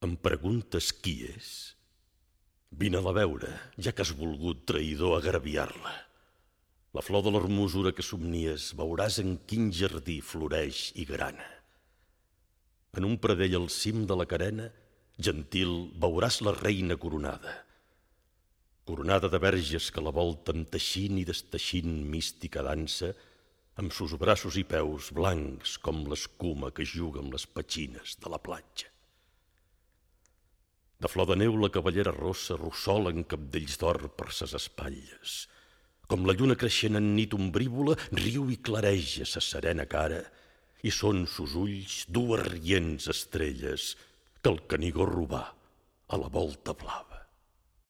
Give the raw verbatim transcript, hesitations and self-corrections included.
Em preguntes qui és? Vine-la a veure, ja que has volgut, traïdor, agraviar-la. La flor de l'hermosura que somnies veuràs en quin jardí floreix i grana. En un pradell al cim de la carena, gentil, veuràs la reina coronada. Coronada de verges que la volten teixint i desteixint mística dansa, amb sus braços i peus blancs com l'escuma que juga amb les petxines de la platja. De flor de neu la cavallera rossa rossola en cabdells d'or per ses espatlles. Com la lluna creixent en nit ombrívola, riu i clareja sa serena cara, i són sus ulls dues rients estrelles que el Canigó robà a la volta blava.